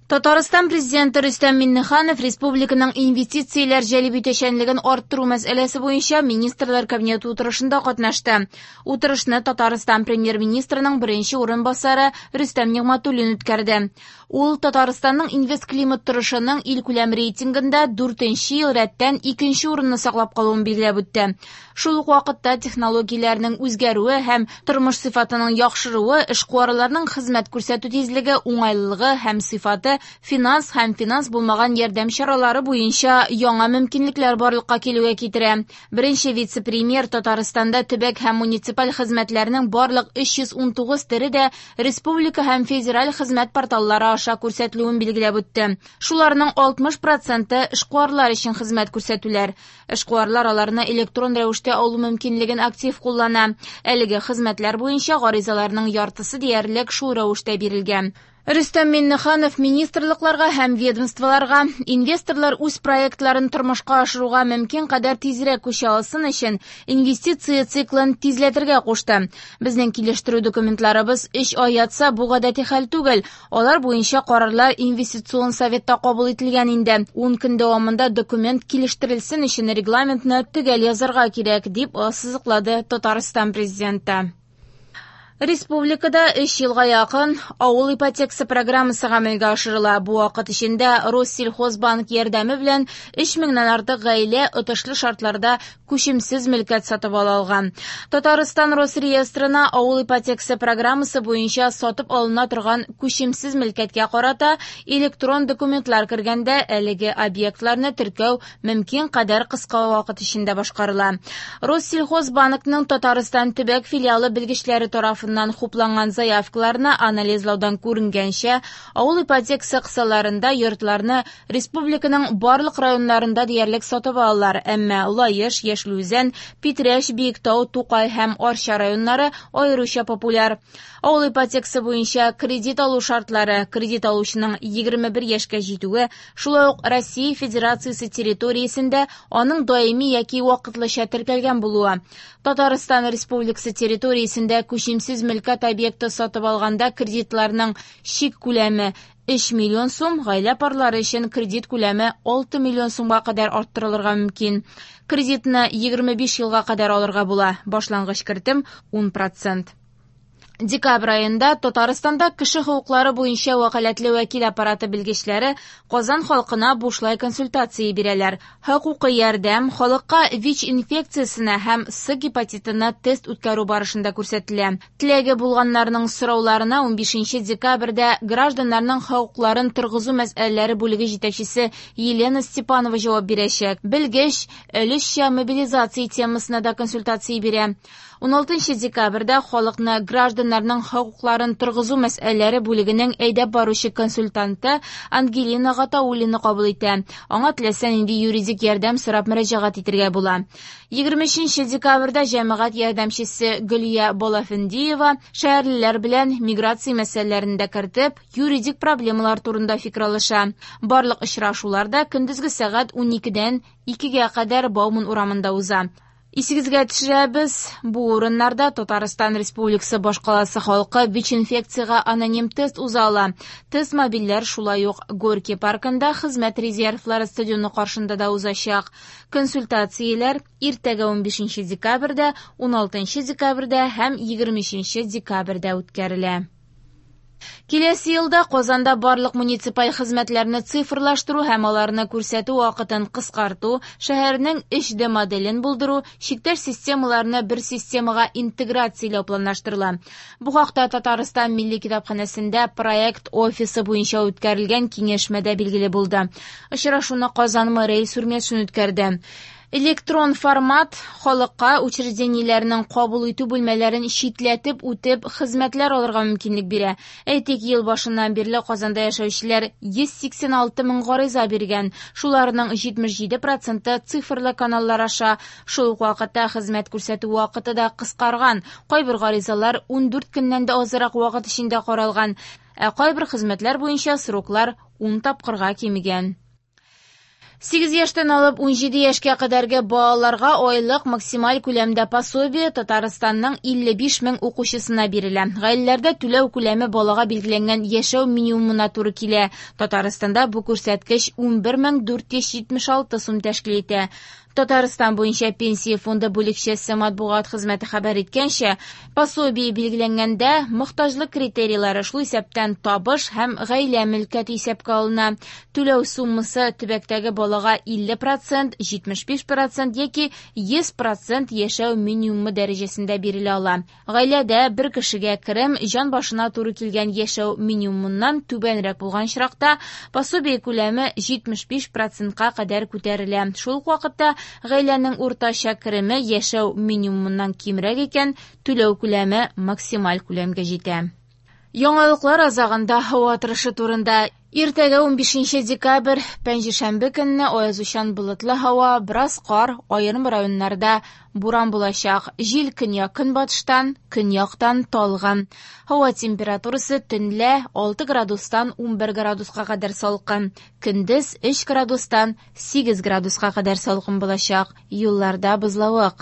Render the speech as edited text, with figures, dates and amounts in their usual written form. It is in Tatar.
Татарстан Президенты Рөстәм Миңнеханов республиканың инвестицияләр җәлеп итүчәнлеген арттыру мәсьәләсе буенча Министрлар Кабинеты утырышында катнашты. Утырышны Татарстан Премьер-министрының беренче урынбасары Рөстәм Нигъмәтуллин үткәрде. Ул Татарстанның инвестклимат торышының илкүләм рейтингында дүртенче ел рәттән икенче урынны саклап калуын билгеләп үтте. Шул ук вакытта технологияләрнең үзгәрүе һәм тормыш сыйфатының яхшыруы эшкуарларның хезмәт күрсәтү тизлеге, уңайлылыгы һәм сыйфаты, финанс һәм финанс булмаган ярдәм чаралары буенча яңа мөмкинлекләр барлыкка килүгә китерә. Беренче вице-премьер Татарстанда төбәк һәм муниципаль хезмәтләрнең барлык 319 төре дә республика һәм федераль хезмәт порталлары аша күрсәтелүен билгеләп үтте. Шуларның 60 проценты эшкуарлар өчен хезмәт күрсәтүләр. Эшкуарлар аларны электрон рәвештә алу мөмкинлеген актив куллана. Әлеге хезмәтләр буенча гаризаларның яртысы диярлек шул рәвештә бирелгән. Рөстәм Миңнеханов министрлыкларга һәм ведомстволарга инвесторлар үз проектларын тормышка ашыруга мөмкин кадәр тизрәк күчә алсын өчен инвестиция циклын тизләтергә кушты. Безнең килештерү документларыбыз 3 ай ятса, бу гадәти хәл түгел. Алар буенча карарлар инвестицион советта кабул ителгән инде. 10 көн дәвамында документ килештерелсен өчен регламентны төгәл язарга кирәк, дип ассызыклады Татарстан Президенты. Республикада 3 елга якын авыл ипотекасы программасы гамәлгә ашырыла. Бу вакыт эчендә Россельхозбанк ярдәме белән 3 меңнән артык гаилә отышлы шартларда күчемсез мөлкәт сатып ала алган. Татарстан Росреестрына авыл ипотекасы программасы буенча сатып алына торган күчемсез мөлкәткә карата электрон документлар кергәндә әлеге объектларны теркәү мөмкин кадәр кыска вакыт эчендә башкарыла. Россельхозбанкның Татарстан төбәк филиалы белгечләре тарафыннан хупланган заявкаларны анализлаудан күренгәнчә, авыл ипотекасы кысаларында йортларны республиканың барлык районнарында диярлек сатып алалар, әмма Лаеш, Яшел Үзән, Питрәч, Биектау, Тукай һәм Арча районнары аеруча популяр. Авыл ипотекасы буенча кредит алу шартлары, кредит алучының 21 яшькә җитүе, шулай ук Россия Федерациясе территориясендә аның даими яки вакытлыча теркәлгән булуы. Татарстан Республикасы территориясендә күчемсез мөлкәт объекты сатып алганда кредитларның чик күләме 3 миллион сум, гаилә парлары өчен кредит күләме 6 миллион сумга кадәр арттырылырга мөмкин. Кредитны 25 елга кадәр алырга була. Башлангыч кертем 10%. Декабрь аенда Татарстанда кеше хокуклары буенча вәкаләтле вәкил аппараты белгечләре Казан халкына бушлай консультация бирәләр. Хокукый ярдәм халыкка ВИЧ инфекциясенә һәм С гепатитына тест үткәрү барышында күрсәтелә. Теләге булганнарның сорауларына 15 декабрьдә гражданнарның хокукларын торгызу мәсьәләләре бүлеге җитәкчесе Елена Степанова җавап бирәчәк. Белгеч өлешчә мобилизация темасына да консультация бирә. 16 декабрьдә халыкны гражданнарның хокукларын торгызу мәсьәләләре бүлегенең әйдәп баручы консультанты Ангелина Гатауллина кабул итә. Аңа теләсә нинди юридик ярдәм сорап мөрәҗәгать итәргә була. 23 декабрьдә җәмәгать ярдәмчесе Гөлия Балафендиева шәһәрлеләр белән миграция мәсьәләләрен дә кертеп, юридик проблемалар турында фикер алыша. Барлык очрашулар да көндезге сәгать 12-дән 2-гә кадәр Бауман урамында уза. Исегезгә төшерәбез, бу урыннарда Татарстан Республикасы башкаласы халкы ВИЧ инфекциягә аноним тест уза ала. Тест мобильләр шулай ук Горький паркында хезмәт резервлары стадионы каршында да узачак. Консультацияләр иртәгә 15 декабрьдә, 16 декабрьдә һәм 23 декабрьдә үткәрелә. Киләсе елда Казанда барлык муниципаль хезмәтләрне цифрлаштыру һәм аларны күрсәтү вакытын кыскарту, шәһәрнең 3D моделен булдыру, чиктәш системаларны бер системага интеграцияләү планлаштырыла. Бу хакта Татарстан Милли китапханәсендә проект офисы буенча үткәрелгән киңәшмәдә билгеле булды. Очрашуны Казан мэры Илсур Метшин үткәрде. Электрон формат халыкка учреждениеләрнең кабул итү бүлмәләрен читләтеп үтеп хезмәтләр алырга мөмкинлек бирә. Әйтик, ел башыннан бирле Казанда яшәүчеләр 186 мең гариза биргән. Шуларның 77% цифрлы каналлар аша. Шул ук вакытта хезмәт күрсәтү вакыты да кыскарган. Кайбер гаризалар 14 көннән дә азрак вакыт эчендә каралган. Ә кайбер хезмәтләр буенча сроклар 10 тапкырга кимегән. 8 яшьтән алып 17 яшькә кадәрге балаларга айлык максималь күләмдә пособие Татарстанның 55 мең укучысына бирелә. Гаиләләрдә түләү күләме балага билгеләнгән яшәү минимумына туры килә. Татарстанда бу күрсәткеч 11 476 сум тәшкил итә. Татарстан буенча Пенсия фонды бүлекчәсе матбугат хезмәте хәбәр иткәнчә, пособие билгеләнгәндә мохтаҗлык критерийлары, шул исәптән табыш һәм гаилә мөлкәте исәпкә алына. Түләү суммасы төбәктәге балага 50%, 75% яки 100% яшәү минимумы дәрәҗәсендә бирелә ала. Гаиләдә бер кешегә керем җан башына туры килгән яшәү минимумыннан түбәнрәк булган очракта пособие күләме 75%-ка кадәр күтәрелә. Шул ук вакытта гаиләнең уртача кереме яшәү минимумыннан кимрәк икән, түләү күләме максималь күләмгә җитә. Яңалыклар азагында һава торышы турында. Иртәгә 15 декабрь, пәнҗешәмбе көнне аязучан болытлы һава, бераз кар, аерым районнарда буран булачак. Җил көньяк-көнбатыштан, көньяктан талгын. Һава температурасы төнлә 6 градустан 11 градуска кадәр салкын. Көндез 3 градустан 8 градуска кадәр салкын булачак. Юлларда бозлавык.